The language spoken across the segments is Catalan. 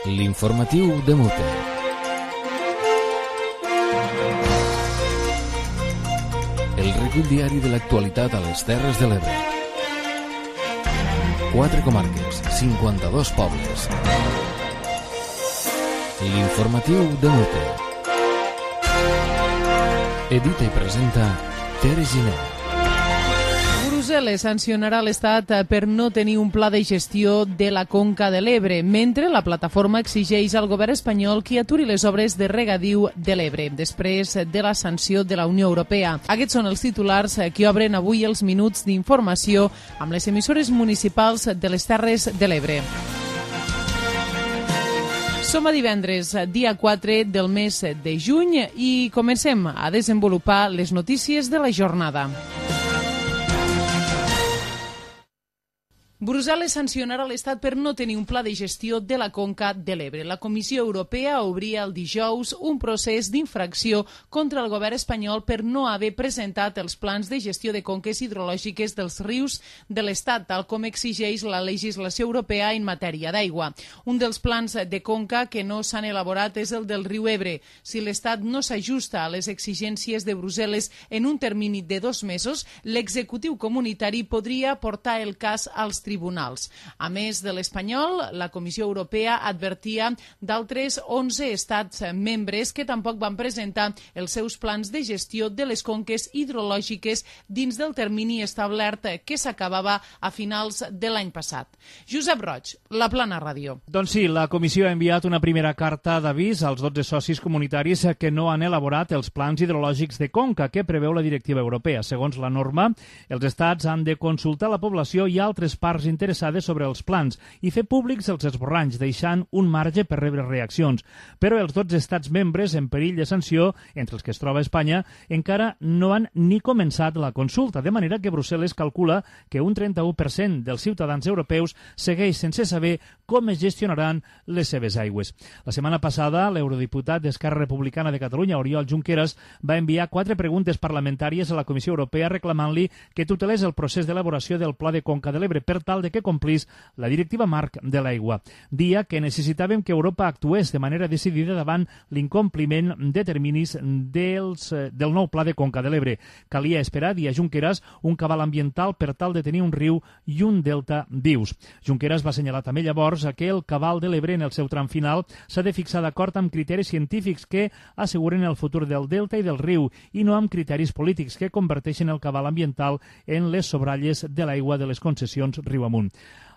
L'informatiu de Mute. El recull diari de l'actualitat a les Terres de l'Ebre. 4 comarques, 52 pobles. L'informatiu de Mute. Edita i presenta Tere Giner. Brussel·les sancionarà l'Estat per no tenir un pla de gestió de la conca de l'Ebre, mentre la plataforma exigeix al govern espanyol que aturi les obres de regadiu de l'Ebre, després de la sanció de la Unió Europea. Aquests són els titulars que obren avui els minuts d'informació amb les emissores municipals de les Terres de l'Ebre. Som a divendres, dia 4 del mes de juny, i comencem a desenvolupar les notícies de la jornada. Brussel·les sancionarà l'Estat per no tenir un pla de gestió de la conca de l'Ebre. La Comissió Europea obria el dijous un procés d'infracció contra el govern espanyol per no haver presentat els plans de gestió de conques hidrològiques dels rius de l'Estat, tal com exigeix la legislació europea en matèria d'aigua. Un dels plans de conca que no s'han elaborat és el del riu Ebre. Si l'Estat no s'ajusta a les exigències de Brussel·les en un termini de 2 mesos, l'executiu comunitari podria portar el cas als tribunals. A més de l'espanyol, la Comissió Europea advertia d'altres 11 estats membres que tampoc van presentar els seus plans de gestió de les conques hidrològiques dins del termini establert que s'acabava a finals de l'any passat. Josep Roig, La Plana Ràdio. Doncs sí, la Comissió ha enviat una primera carta d'avís als 12 socis comunitaris que no han elaborat els plans hidrològics de conca que preveu la directiva europea. Segons la norma, els estats han de consultar la població i altres parts interessades sobre els plans i fer públics els esborranys, deixant un marge per rebre reaccions. Però els 12 estats membres en perill de sanció, entre els que es troba Espanya, encara no han ni començat la consulta, de manera que Brussel·les calcula que un 31% dels ciutadans europeus segueix sense saber com es gestionaran les seves aigües. La setmana passada, l'eurodiputat d'Esquerra Republicana de Catalunya, Oriol Junqueras, va enviar 4 preguntes parlamentàries a la Comissió Europea reclamant-li que tutelés el procés d'elaboració del Pla de Conca de l'Ebre per tal de que complís la directiva marc de l'aigua. Dia que necessitàvem que Europa actués de manera decidida davant l'incompliment de terminis del nou Pla de Conca de l'Ebre. Calia esperar, dia Junqueras, un cabal ambiental per tal de tenir un riu i un delta vius. Junqueras va assenyalar també llavors que el cabal de l'Ebre en el seu tram final s'ha de fixar d'acord amb criteris científics que asseguren el futur del delta i del riu i no amb criteris polítics que converteixen el cabal ambiental en les sobralles de l'aigua de les concessions riu amunt.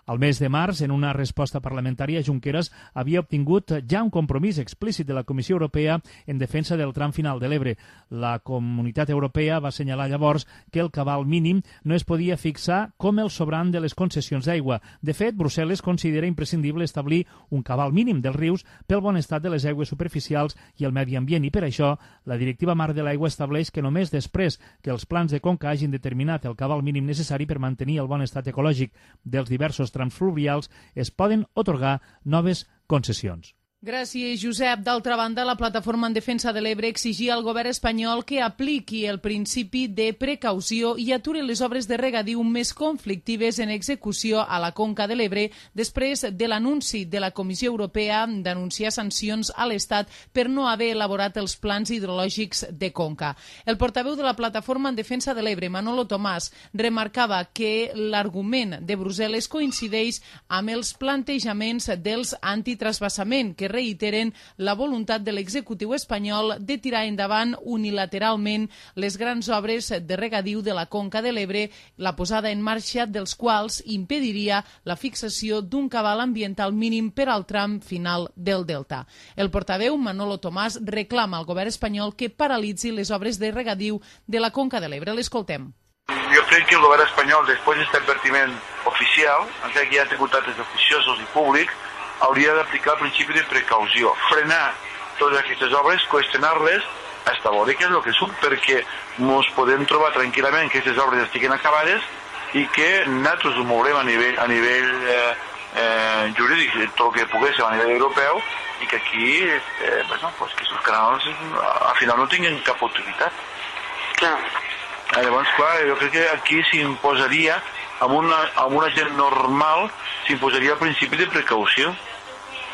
Al mes de març, en una resposta parlamentària, Junqueras havia obtingut ja un compromís explícit de la Comissió Europea en defensa del tram final de l'Ebre. La Comunitat Europea va assenyalar llavors que el cabal mínim no es podia fixar com el sobrant de les concessions d'aigua. De fet, Brussel·les considera imprescindible establir un cabal mínim dels rius pel bon estat de les aigües superficials i el medi ambient, i per això la Directiva Marc de l'Aigua estableix que només després que els plans de conca hagin determinat el cabal mínim necessari per mantenir el bon estat ecològic dels diversos trams fluvials es poden atorgar noves concessions. Gràcies, Josep. D'altra banda, la Plataforma en Defensa de l'Ebre exigia al govern espanyol que apliqui el principi de precaució i aturi les obres de regadiu més conflictives en execució a la conca de l'Ebre després de l'anunci de la Comissió Europea d'anunciar sancions a l'Estat per no haver elaborat els plans hidrològics de conca. El portaveu de la Plataforma en Defensa de l'Ebre, Manolo Tomàs, remarcava que l'argument de Brussel·les coincideix amb els plantejaments dels antitrasbassament, que reiteren la voluntat de l'executiu espanyol de tirar endavant unilateralment les grans obres de regadiu de la conca de l'Ebre, la posada en marxa dels quals impediria la fixació d'un cabal ambiental mínim per al tram final del delta. El portaveu, Manolo Tomàs, reclama al govern espanyol que paralitzi les obres de regadiu de la conca de l'Ebre. L'escoltem. Jo crec que el govern espanyol, després d'aquest advertiment oficial, encara que hi ha tingut actes oficiosos i públics, hauria d'aplicar el principi de precaució, frenar totes aquestes obres, qüestionar-les, hasta veure què és el que són, perquè ens podem trobar tranquil·lament que aquestes obres estiguen acabades i que nosaltres ho mourem a nivell jurídic, tot el que pogués a nivell europeu, i que aquí que aquests canals al final no tinguin cap utilitat. Clar. Llavors, clar, jo crec que aquí s'imposaria, amb una gent normal, s'imposaria el principi de precaució.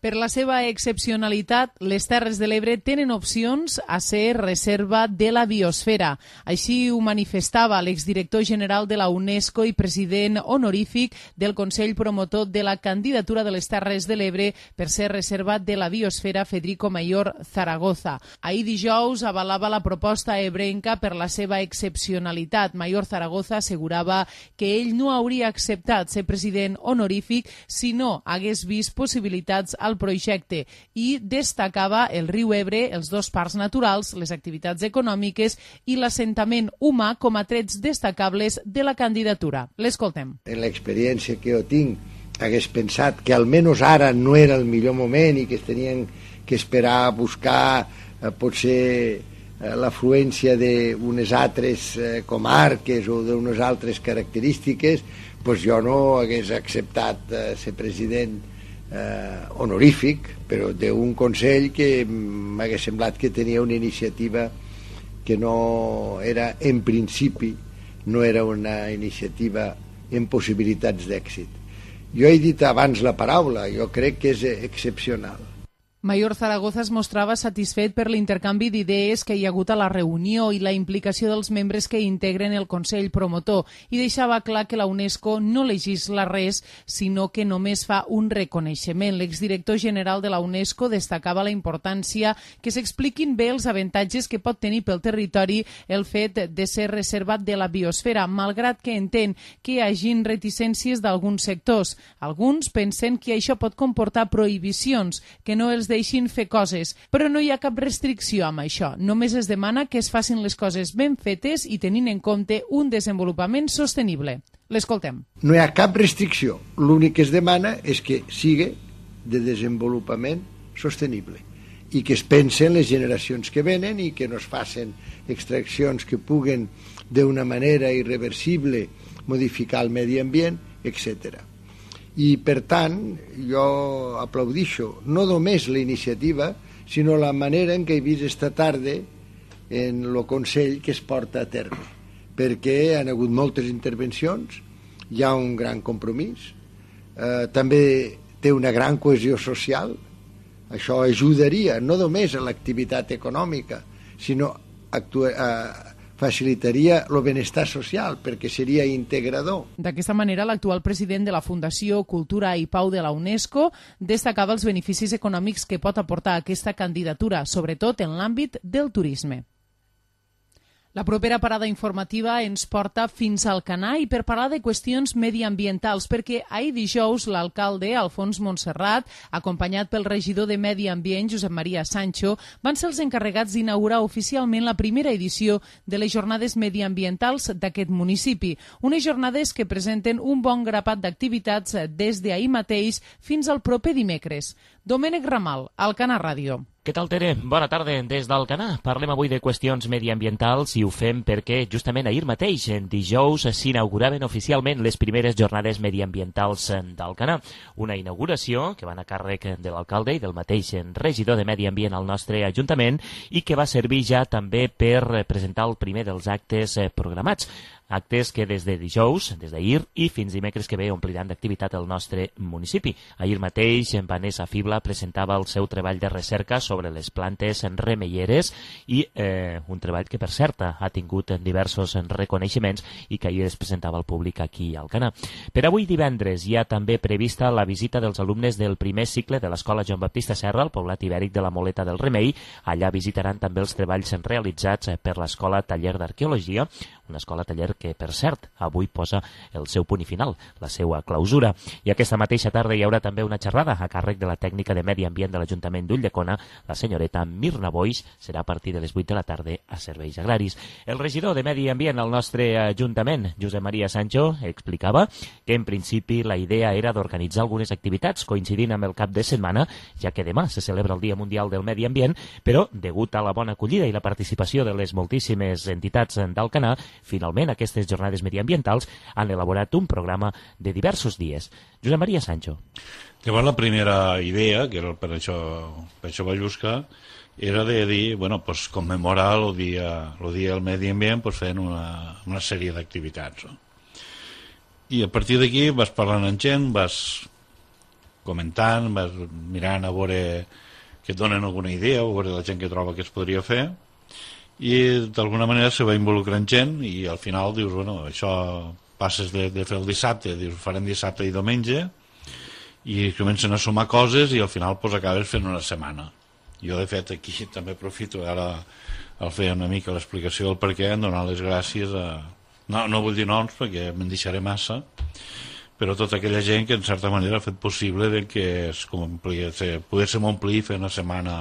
Per la seva excepcionalitat, les Terres de l'Ebre tenen opcions a ser reserva de la biosfera. Així ho manifestava l'exdirector general de la UNESCO i president honorífic del Consell Promotor de la candidatura de les Terres de l'Ebre per ser reserva de la biosfera, Federico Mayor Zaragoza. Ahir dijous avalava la proposta ebrenca per la seva excepcionalitat. Mayor Zaragoza assegurava que ell no hauria acceptat ser president honorífic si no hagués vist possibilitats al projecte i destacava el riu Ebre, els dos parcs naturals, les activitats econòmiques i l'assentament humà com a trets destacables de la candidatura. L'escoltem. En l'experiència que jo tinc, hagués pensat que almenys ara no era el millor moment i que es tenien que esperar a buscar potser l'afluència d'unes altres comarques o d'unes altres característiques, doncs jo no hagués acceptat ser president honorífic, però d'un Consell que m'hagués semblat que tenia una iniciativa que no era, en principi, no era una iniciativa amb possibilitats d'èxit. Jo he dit abans la paraula, jo crec que és excepcional. Mayor Zaragoza es mostrava satisfet per l'intercanvi d'idees que hi ha hagut a la reunió i la implicació dels membres que integren el Consell Promotor i deixava clar que la UNESCO no legisla res, sinó que només fa un reconeixement. L'exdirector general de la UNESCO destacava la importància que s'expliquin bé els avantatges que pot tenir pel territori el fet de ser reservat de la biosfera, malgrat que entén que hi hagin reticències d'alguns sectors. Alguns pensen que això pot comportar prohibicions, que no els deixin fer coses, però no hi ha cap restricció amb això. Només es demana que es facin les coses ben fetes i tenint en compte un desenvolupament sostenible. L'escoltem. No hi ha cap restricció. L'únic que es demana és que sigui de desenvolupament sostenible i que es pensen les generacions que venen i que no es facin extraccions que puguen d'una manera irreversible modificar el medi ambient, etc. I, per tant, jo aplaudixo no només la iniciativa, sinó la manera en què he vist esta tarda en el Consell que es porta a terme, perquè han hagut moltes intervencions, hi ha un gran compromís, també té una gran cohesió social, això ajudaria no només a l'activitat econòmica, sinó facilitaria el benestar social perquè seria integrador. D'aquesta manera, l'actual president de la Fundació Cultura i Pau de la UNESCO destacava els beneficis econòmics que pot aportar aquesta candidatura, sobretot en l'àmbit del turisme. La propera parada informativa ens porta fins al Alcanar i per parlar de qüestions mediambientals, perquè ahir dijous l'alcalde Alfons Montserrat, acompanyat pel regidor de Medi Ambient, Josep Maria Sancho, van ser els encarregats d'inaugurar oficialment la primera edició de les jornades mediambientals d'aquest municipi. Unes jornades que presenten un bon grapat d'activitats des d'ahir mateix fins al proper dimecres. Domènec Ramal, Alcanar Ràdio. Què tal, Tere? Bona tarda des d'Alcanar. Parlem avui de qüestions mediambientals i ho fem perquè justament ahir mateix, en dijous, s'inauguraven oficialment les primeres jornades mediambientals d'Alcanar. Una inauguració que va anar a càrrec de l'alcalde i del mateix regidor de Medi Ambient al nostre Ajuntament i que va servir ja també per presentar el primer dels actes programats. Actes que des de dijous, des d'ahir i fins dimecres que ve ompliran d'activitat el nostre municipi. Ahir mateix, Vanessa Fibla presentava el seu treball de recerca sobre les plantes remeieres i un treball que, per cert, ha tingut diversos reconeixements i que ahir es presentava al públic aquí a Alcanar. Per avui divendres hi ha també prevista la visita dels alumnes del primer cicle de l'Escola Joan Baptista Serra, al poblat ibèric de la Moleta del Remei. Allà visitaran també els treballs realitzats per l'Escola Taller d'Arqueologia, una escola taller que, per cert, avui posa el seu punt i final, la seva clausura. I aquesta mateixa tarda hi haurà també una xerrada a càrrec de la tècnica de Medi Ambient de l'Ajuntament d'Ulldecona, la senyoreta Mirna Boix, serà a partir de les 8 de la tarda a Serveis Agraris. El regidor de Medi Ambient al nostre Ajuntament, Josep Maria Sancho, explicava que en principi la idea era d'organitzar algunes activitats coincidint amb el cap de setmana, ja que demà se celebra el Dia Mundial del Medi Ambient, però, degut a la bona acollida i la participació de les moltíssimes entitats d'Alcanar, finalment aquestes jornades mediambientals han elaborat un programa de diversos dies. Josep Maria Sancho. Llavors la primera idea, que era per això vaig buscar, era de dir, bueno, pues commemorar el dia del Medi Ambient pues fent una sèrie d'activitats. No? I a partir d'aquí vas parlant amb gent, vas comentant, vas mirant a veure que et donen alguna idea, a veure la gent que troba que es podria fer, i d'alguna manera se va involucrant gent i al final dius, bueno, això passes de fer el dissabte, dius, farem dissabte i diumenge, i comencen a sumar coses i al final pues, acabes fent una setmana. Jo, de fet, aquí també aprofito ara al fer una mica l'explicació del per què, en donar les gràcies a... No vull dir noms perquè me'n deixaré massa, però tota aquella gent que en certa manera ha fet possible de que poguéssim omplir i fer una setmana,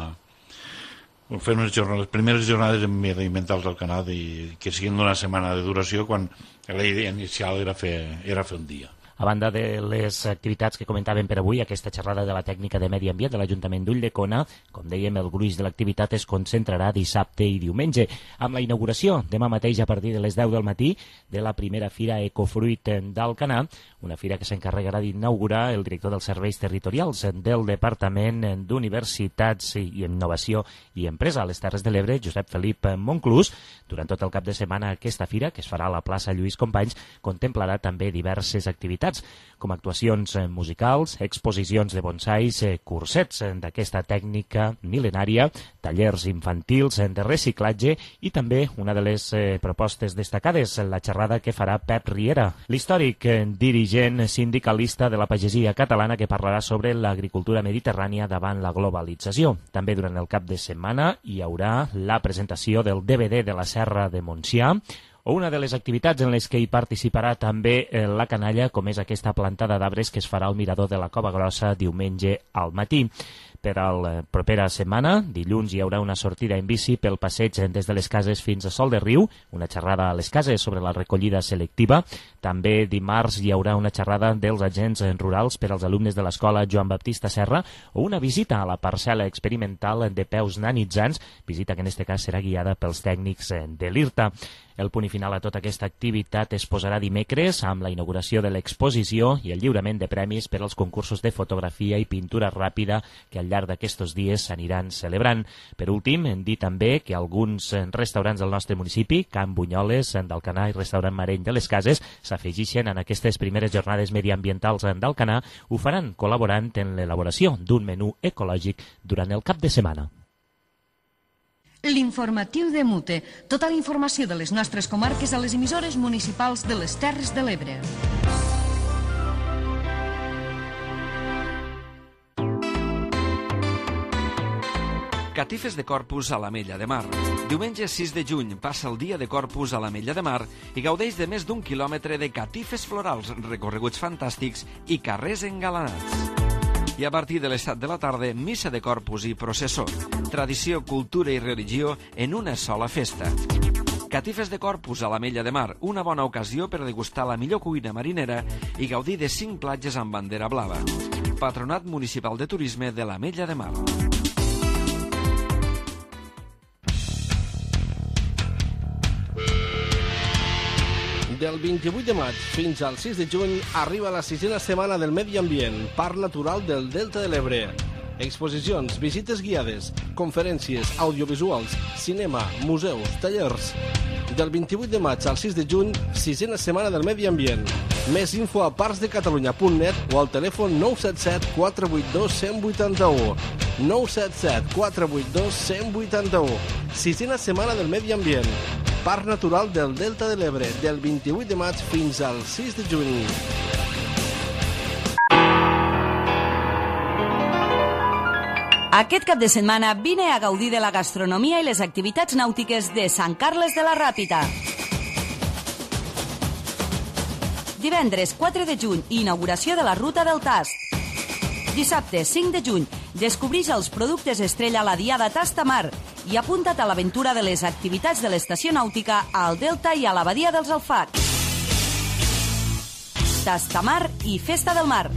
fer les primeres jornades mediambientals al Canà i que siguin d'una setmana de duració quan la idea inicial era fer un dia. A banda de les activitats que comentàvem per avui, aquesta xerrada de la tècnica de medi ambient de l'Ajuntament d'Ulldecona, com dèiem, el gruix de l'activitat es concentrarà dissabte i diumenge, amb la inauguració demà mateix a partir de les 10 del matí de la primera Fira Ecofruit d'Alcanar, una fira que s'encarregarà d'inaugurar el director dels serveis territorials del Departament d'Universitats i Innovació i Empresa a les Terres de l'Ebre, Josep Felip Monclús. Durant tot el cap de setmana aquesta fira, que es farà a la plaça Lluís Companys, contemplarà també diverses activitats, com actuacions musicals, exposicions de bonsais, cursets d'aquesta tècnica mil·lenària, tallers infantils de reciclatge i també una de les propostes destacades, la xerrada que farà Pep Riera, l'històric dirigent sindicalista de la pagesia catalana, que parlarà sobre l'agricultura mediterrània davant la globalització. També durant el cap de setmana hi haurà la presentació del DVD de la Serra de Montsià, o una de les activitats en les que hi participarà també la canalla, com és aquesta plantada d'arbres que es farà al mirador de la Cova Grossa diumenge al matí. Per a la propera setmana, dilluns, hi haurà una sortida en bici pel passeig des de les cases fins a Sol de Riu, una xerrada a les cases sobre la recollida selectiva. També dimarts hi haurà una xerrada dels agents rurals per als alumnes de l'escola Joan Baptista Serra o una visita a la parcel·la experimental de peus nanitzants, visita que en aquest cas serà guiada pels tècnics de l'IRTA. El punt final a tota aquesta activitat es posarà dimecres amb la inauguració de l'exposició i el lliurament de premis per als concursos de fotografia i pintura ràpida que al llarg d'aquests dies s'aniran celebrant. Per últim, hem dit també que alguns restaurants del nostre municipi, Can Bunyoles d'Alcanar i Restaurant Mareny de les Cases, s'afegixen en aquestes primeres jornades mediambientals d'Alcanar, ho faran col·laborant en l'elaboració d'un menú ecològic durant el cap de setmana. L'informatiu de Mute. Tota la informació de les nostres comarques a les emissores municipals de les Terres de l'Ebre. Catifes de Corpus a l'Ametlla de Mar. Diumenge 6 de juny passa el dia de Corpus a l'Ametlla de Mar i gaudeix de més d'1 quilòmetre de catifes florals, recorreguts fantàstics i carrers engalanats. I a partir de les 7 de la tarda, missa de Corpus i processó. Tradició, cultura i religió en una sola festa. Catifes de Corpus a l'Ametlla de Mar, una bona ocasió per degustar la millor cuina marinera i gaudir de 5 platges amb bandera blava. Patronat Municipal de Turisme de l'Ametlla de Mar. Del 28 de maig fins al 6 de juny arriba la 6a setmana del Medi Ambient, Parc Natural del Delta de l'Ebre. Exposicions, visites guiades, conferències, audiovisuals, cinema, museus, tallers. Del 28 de maig al 6 de juny, 6a setmana del Medi Ambient. Més info a parcsdecatalunya.net o al telèfon 977 482 181. 977 482 181. 6a setmana del Medi Ambient. Parc Natural del Delta de l'Ebre, del 28 de maig fins al 6 de juny. Aquest cap de setmana vine a gaudir de la gastronomia i les activitats nàutiques de Sant Carles de la Ràpita. Divendres 4 de juny, inauguració de la Ruta del Tast. Dissabte 5 de juny, descobreix els productes estrella a la Diada Tastamar i apunta't a l'aventura de les activitats de l'estació nàutica al Delta i a la Badia dels Alfacs. Tastamar i Festa del Mar.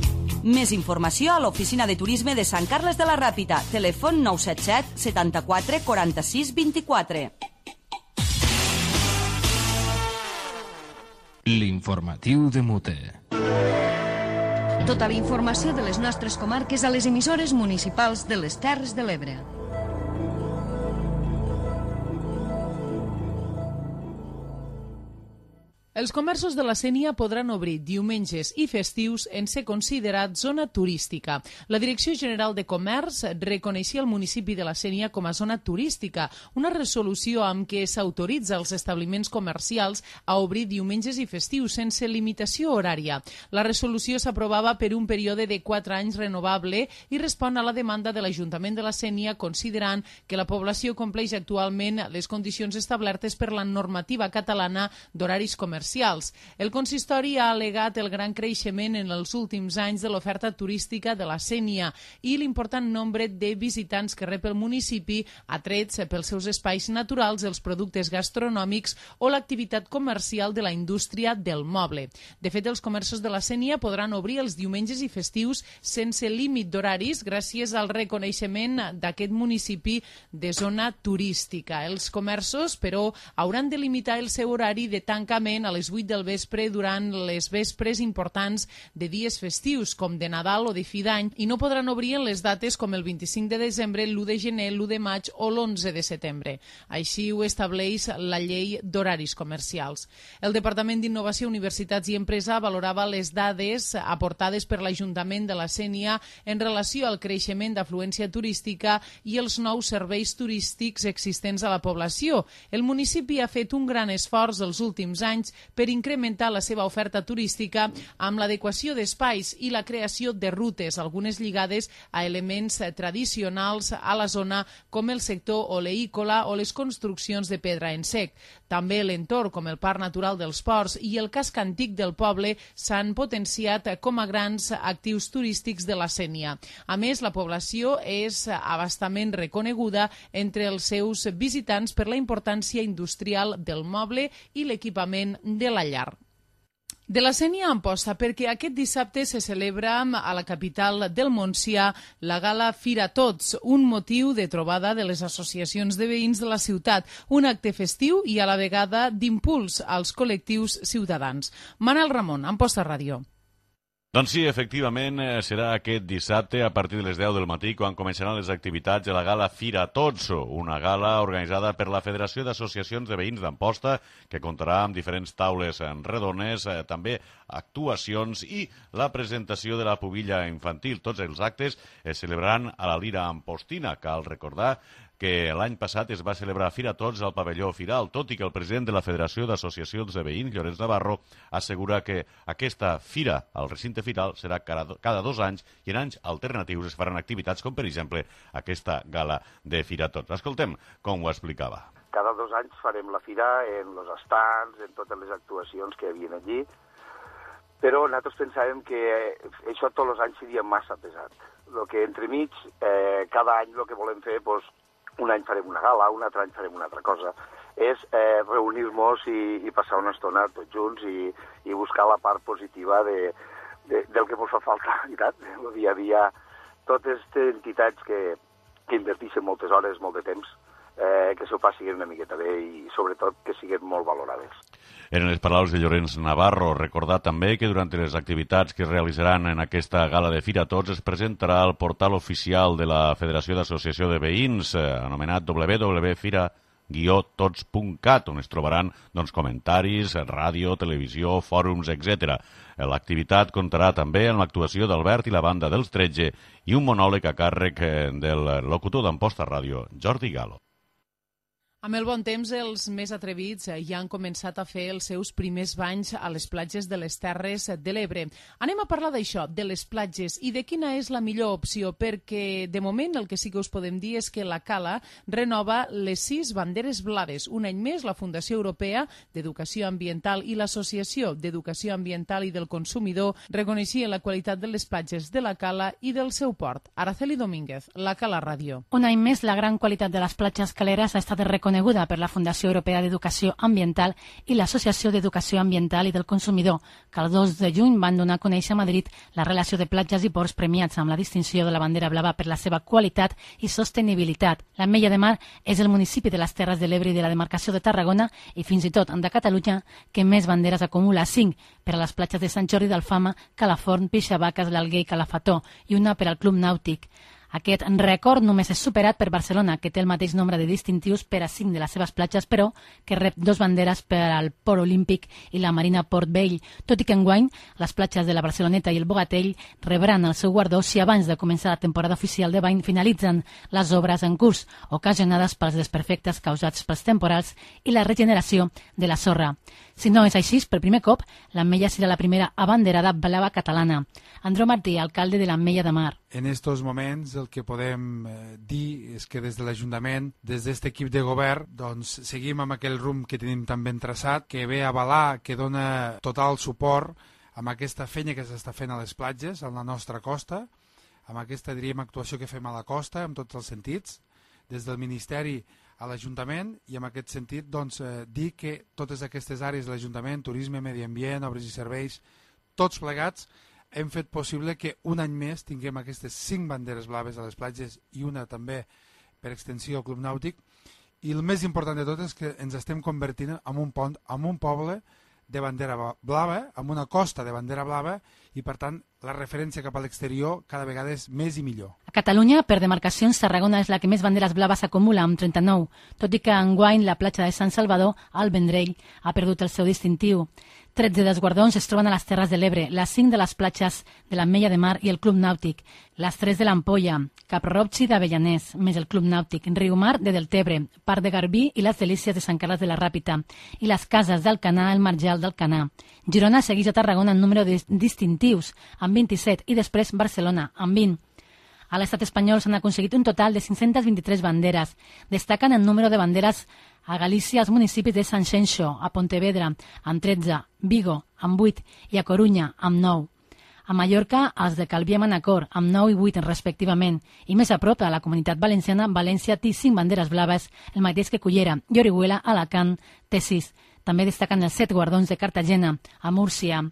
Més informació a l'Oficina de Turisme de Sant Carles de la Ràpita. Telèfon 977 74 46 24. L'informatiu de Mute. Tota la informació de les nostres comarques a les emissores municipals de les Terres de l'Ebre. Els comerços de la Sénia podran obrir diumenges i festius en ser considerat zona turística. La Direcció General de Comerç reconeixia el municipi de la Sénia com a zona turística, una resolució amb què s'autoritza als establiments comercials a obrir diumenges i festius sense limitació horària. La resolució s'aprovava per un període de 4 anys renovable i respon a la demanda de l'Ajuntament de la Sénia, considerant que la població compleix actualment les condicions establertes per la normativa catalana d'horaris comercials. El consistori ha al·legat el gran creixement en els últims anys de l'oferta turística de la Sénia i l'important nombre de visitants que rep el municipi, atrets pels seus espais naturals, els productes gastronòmics o l'activitat comercial de la indústria del moble. De fet, els comerços de la Sénia podran obrir els diumenges i festius sense límit d'horaris gràcies al reconeixement d'aquest municipi de zona turística. Els comerços, però, hauran de limitar el seu horari de tancament a les 8 del vespre durant les vespres importants de dies festius, com de Nadal o de fi d'any, i no podran obrir en les dates com el 25 de desembre, l'1 de gener, l'1 de maig o l'11 de setembre. Així ho estableix la llei d'horaris comercials. El Departament d'Innovació, Universitats i Empresa valorava les dades aportades per l'Ajuntament de la Sénia en relació al creixement d'afluència turística i els nous serveis turístics existents a la població. El municipi ha fet un gran esforç els últims anys per incrementar la seva oferta turística amb l'adequació d'espais i la creació de rutes, algunes lligades a elements tradicionals a la zona com el sector oleícola o les construccions de pedra en sec. També l'entorn, com el Parc Natural dels Ports i el casc antic del poble, s'han potenciat com a grans actius turístics de la Sénia. A més, la població és abastament reconeguda entre els seus visitants per la importància industrial del moble i l'equipament de la llar. De la Sénia a Amposta, perquè aquest dissabte se celebra a la capital del Montsià la gala Fira Tots, un motiu de trobada de les associacions de veïns de la ciutat, un acte festiu i a la vegada d'impuls als col·lectius ciutadans. Manel Ramon, Amposta Ràdio. Doncs sí, efectivament, serà aquest dissabte a partir de les 10 del matí quan començaran les activitats de la gala Fira Tots, una gala organitzada per la Federació d'Associacions de Veïns d'Amposta, que comptarà amb diferents taules redones, també actuacions i la presentació de la pubilla infantil. Tots els actes es celebraran a la Lira Ampostina. Cal recordar que l'any passat es va celebrar Fira Tots al pavelló Firal, tot i que el president de la Federació d'Associacions de Veïns, Llorenç Navarro, assegura que aquesta fira al recinte firal serà cada 2 anys i en anys alternatius es faran activitats com, per exemple, aquesta gala de Fira Tots. Escoltem com ho explicava. Cada 2 anys farem la fira en els estands, en totes les actuacions que hi havia allí, però nosaltres pensàvem que això tots els anys seria massa pesat. El que entremig, cada any el que volem fer, un any farem una gala, un altre any farem una altra cosa, és reunir-nos i passar una estona tots junts i buscar la part positiva del que ens fa falta, veritat? El dia a dia, totes aquestes entitats que inverteixen moltes hores, molt de temps, que s'ho passin una miqueta bé i sobretot que siguin molt valorades. Eren les paraules de Llorenç Navarro. Recordar també que durant les activitats que es realitzaran en aquesta gala de Fira Tots es presentarà el portal oficial de la Federació d'Associació de Veïns, anomenat www.fira-tots.cat, on es trobaran comentaris, ràdio, televisió, fòrums, etc. L'activitat comptarà també amb l'actuació d'Albert i la banda dels 13 i un monòleg a càrrec del locutor d'Amposta Ràdio, Jordi Galo. Amb el bon temps, els més atrevits ja han començat a fer els seus primers banys a les platges de les Terres de l'Ebre. Anem a parlar d'això, de les platges, i de quina és la millor opció, perquè de moment el que sí que us podem dir és que la Cala renova les 6 banderes blaves. Un any més, la Fundació Europea d'Educació Ambiental i l'Associació d'Educació Ambiental i del Consumidor reconeixien la qualitat de les platges de la Cala i del seu port. Araceli Domínguez, la Cala Ràdio. Un any més, la gran qualitat de les platges caleres ha estat reconeguda per la Fundació Europea d'Educació Ambiental i l'Associació d'Educació Ambiental i del Consumidor, que el 2 de juny van donar a conèixer a Madrid la relació de platges i ports premiats amb la distinció de la bandera blava per la seva qualitat i sostenibilitat. L'Ametlla de Mar és el municipi de les Terres de l'Ebre i de la demarcació de Tarragona i fins i tot de Catalunya que més banderes acumula, 5 per a les platges de Sant Jordi d'Alfama, Calaforn, Pixavaques, l'Alguer i Calafató i una per al Club Nàutic. Aquest rècord només és superat per Barcelona, que té el mateix nombre de distintius per a 5 de les seves platges, però que rep 2 banderes per al Port Olímpic i la Marina Port Vell, tot i que enguany les platges de la Barceloneta i el Bogatell rebran el seu guardó si abans de començar la temporada oficial de bany finalitzen les obres en curs, ocasionades pels desperfectes causats pels temporals i la regeneració de la sorra. Si no és així, per primer cop, l'Ametlla serà la primera abanderada blava catalana. Andreu Martí, alcalde de l'Ametlla de Mar. En estos moments el que podem dir és que des de l'Ajuntament, des d'aquest equip de govern, doncs seguim amb aquell rumb que tenim tan ben traçat, que ve a avalar, que dona total suport amb aquesta feina que s'està fent a les platges, a la nostra costa, amb aquesta, diríem, actuació que fem a la costa, en tots els sentits, des del Ministeri a l'Ajuntament, i en aquest sentit doncs, dir que totes aquestes àrees de l'Ajuntament, turisme, medi ambient, obres i serveis, tots plegats, hem fet possible que un any més tinguem aquestes 5 banderes blaves a les platges i una també per extensió al Club Nàutic, i el més important de tot és que ens estem convertint en un poble de bandera blava, amb una costa de bandera blava, i per tant la referència cap a l'exterior cada vegada és més i millor. A Catalunya, per demarcacions, Tarragona és la que més banderes blaves acumula, amb 39, tot i que enguany la platja de Sant Salvador, al Vendrell, ha perdut el seu distintiu. 13 dels guardons es troben a les Terres de l'Ebre, les 5 de les platges de l'Ametlla de Mar i el Club Nàutic, les 3 de l'Ampolla, Cap-roig d'Avellanès, més el Club Nàutic, Riumar de Deltebre, Parc de Garbí i les Delícies de Sant Carles de la Ràpita, i les cases d'Alcanar, el Marjal d'Alcanar. Girona segueix a Tarragona en número de distintius, amb 27, i després Barcelona, amb 20. A l'estat espanyol s'han aconseguit un total de 523 banderes. Destaquen el número de banderes a Galícia els municipis de Sant Xenxo, a Pontevedra, amb 13, Vigo, amb 8, i a Corunya, amb 9. A Mallorca, els de Calví i Manacor, amb 9 i 8 respectivament, i més a prop, a la Comunitat Valenciana, València té 5 banderes blaves, el mateix que Cullera, i Orihuela, Alacant, té 6. També destaquen els 7 guardons de Cartagena, a Múrcia.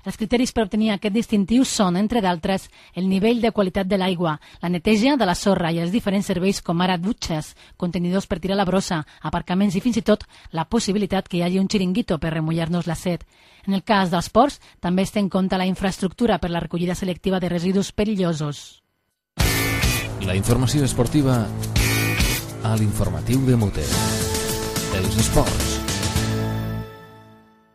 Els criteris per obtenir aquest distintiu són, entre d'altres, el nivell de qualitat de l'aigua, la neteja de la sorra i els diferents serveis com ara dutxes, contenidors per tirar la brossa, aparcaments i fins i tot la possibilitat que hi hagi un xiringuito per remullar-nos la set. En el cas dels ports, també es té en compte la infraestructura per la recollida selectiva de residus perillosos. La informació esportiva a l'informatiu de Mute. Els esports.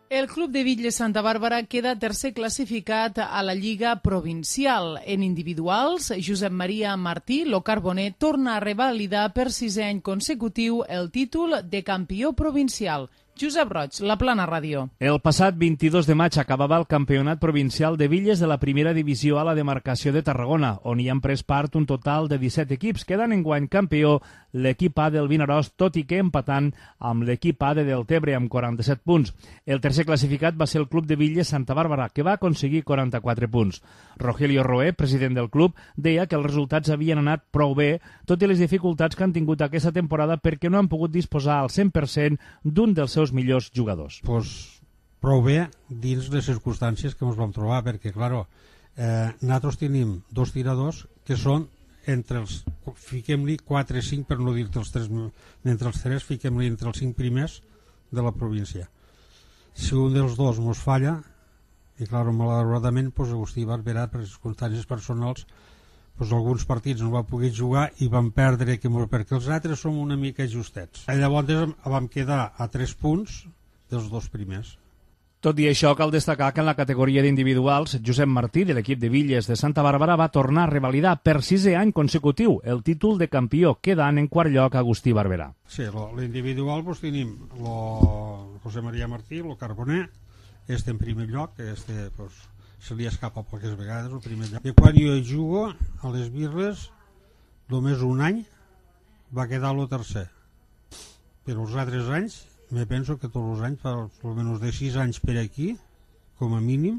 El Club de Bitlles Santa Bàrbara queda tercer classificat a la Lliga Provincial. En individuals, Josep Maria Martí, lo Carboner, torna a revalidar per 6è any consecutiu el títol de campió provincial. Josep Roig, La Plana Ràdio. El passat 22 de maig acabava el campionat provincial de bitlles de la primera divisió a la demarcació de Tarragona, on hi han pres part un total de 17 equips, quedant enguany campió l'equip A del Vinaròs, tot i que empatant amb l'equip A de Deltebre amb 47 punts. El tercer classificat va ser el Club de Bitlles Santa Bàrbara, que va aconseguir 44 punts. Rogelio Roé, president del club, deia que els resultats havien anat prou bé, tot i les dificultats que han tingut aquesta temporada perquè no han pogut disposar al 100% d'un dels seus millors jugadors. Pues prou bé dins les circumstàncies que ens vam trobar, perquè, claro, nosaltres tenim 2 tiradors que són entre els, fiquem-li 4 i 5, per no dir-te els 3, entre els 3 fiquem-li entre els 5 primers de la província. Si un dels 2 ens falla, i claro, malauradament, pues, Agustí Barberà, per circumstàncies personals, pues, alguns partits no va poder jugar i van perdre, perquè els altres som una mica justets. Llavors vam quedar a 3 punts dels 2 primers. Tot i això, cal destacar que en la categoria d'individuals, Josep Martí, de l'equip de bitlles de Santa Bàrbara, va tornar a revalidar per 6è any consecutiu el títol de campió, quedant en quart lloc Agustí Barberà. Sí, l'individual pues, tenim el José María Martí, el Carboner, en primer lloc, pues, se li escapa poques vegades el primer lloc. I quan jo jugo a les birres, només un any va quedar el tercer. Però els altres anys, me penso que tots els anys, fa almenys de 6 anys per aquí, com a mínim,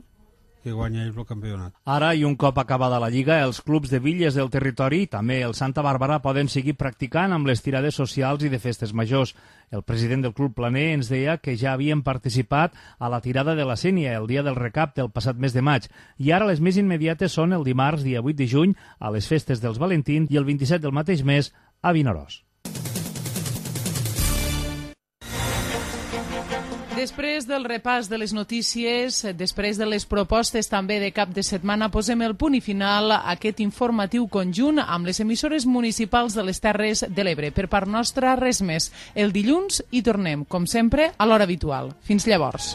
que guanya el campionat. Ara, i un cop acabada la Lliga, els clubs de bitlles del territori, també el Santa Bàrbara, poden seguir practicant amb les tirades socials i de festes majors. El president del Club Planer ens deia que ja havien participat a la tirada de la Sénia el dia del recapte el passat mes de maig, i ara les més immediates són el dimarts, dia 8 de juny, a les festes dels Valentins, i el 27 del mateix mes a Vinaròs. Després del repàs de les notícies, després de les propostes també de cap de setmana, posem el punt i final a aquest informatiu conjunt amb les emissores municipals de les Terres de l'Ebre. Per part nostra, res més. El dilluns hi tornem, com sempre, a l'hora habitual. Fins llavors.